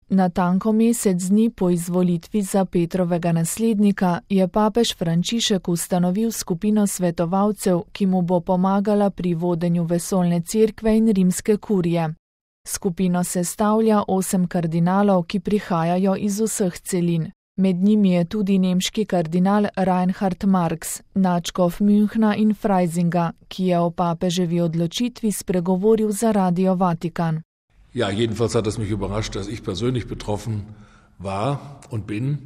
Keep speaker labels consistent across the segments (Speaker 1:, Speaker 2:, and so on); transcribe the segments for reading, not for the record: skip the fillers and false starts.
Speaker 1: Natanko mesec dni po izvolitvi za Petrovega naslednika je papež Frančišek ustanovil skupino svetovalcev, ki mu bo pomagala pri vodenju vesoljne cerkve in rimske kurije. Skupino sestavlja 8 kardinalov, ki prihajajo iz vseh celin. Med njimi je tudi nemški kardinal Reinhard Marx, nadškof Münchna in Freisinga, ki je o papeževi odločitvi spregovoril za Radio Vatikan.
Speaker 2: Ja, jedenfalls hat es mich überrascht, dass ich persönlich betroffen war und bin.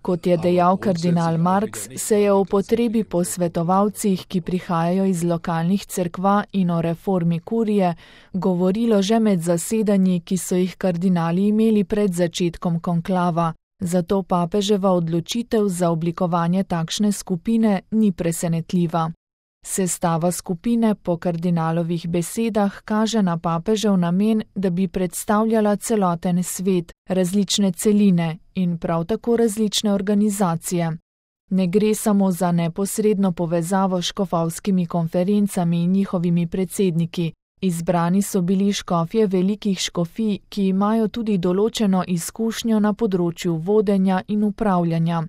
Speaker 1: Kot je dejal kardinal Marx, se je o potrebi po svetovalcih, ki prihajajo iz lokalnih cerkva in o reformi kurije, govorilo že med zasedanji, ki so jih kardinali imeli pred začetkom konklava. Zato papeževa odločitev za oblikovanje takšne skupine ni presenetljiva. Sestava skupine po kardinalovih besedah kaže na papežev namen, da bi predstavljala celoten svet, različne celine in prav tako različne organizacije. Ne gre samo za neposredno povezavo s škofovskimi konferencami in njihovimi predsedniki. Izbrani so bili škofje velikih škofij, ki imajo tudi določeno izkušnjo na področju vodenja in upravljanja.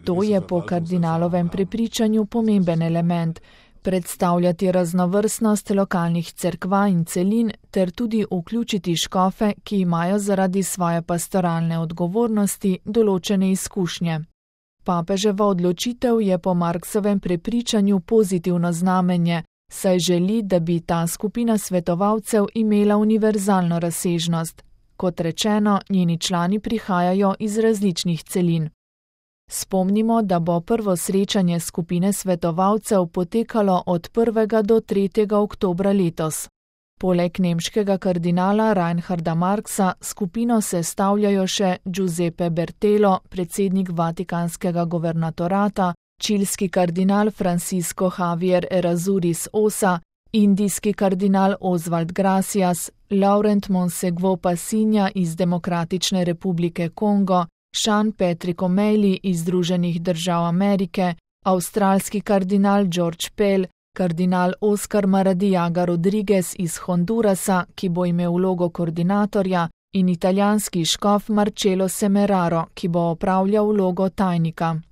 Speaker 1: To je po kardinalovem prepričanju pomemben element, predstavljati raznovrstnost lokalnih cerkva in celin ter tudi vključiti škofe, ki imajo zaradi svoje pastoralne odgovornosti določene izkušnje. Papeževa odločitev je po Marksovem prepričanju pozitivno znamenje, saj želi, da bi ta skupina svetovalcev imela univerzalno razsežnost. Kot rečeno, njeni člani prihajajo iz različnih celin. Spomnimo, da bo prvo srečanje skupine svetovalcev potekalo od 1. do 3. oktobra letos. Poleg nemškega kardinala Reinharda Marxa skupino sestavljajo še Giuseppe Bertelo, predsednik Vatikanskega guvernatorata, čilski kardinal Francisco Javier Errázuriz Osa, indijski kardinal Oswald Gracias, Laurent Monsegwo Passinja iz Demokratične republike Kongo, Sean Patrick O'Malley iz Združenih držav Amerike, avstralski kardinal George Pell, kardinal Oscar Maradiaga Rodriguez iz Hondurasa, ki bo imel vlogo koordinatorja, in italijanski škof Marcello Semeraro, ki bo opravljal vlogo tajnika.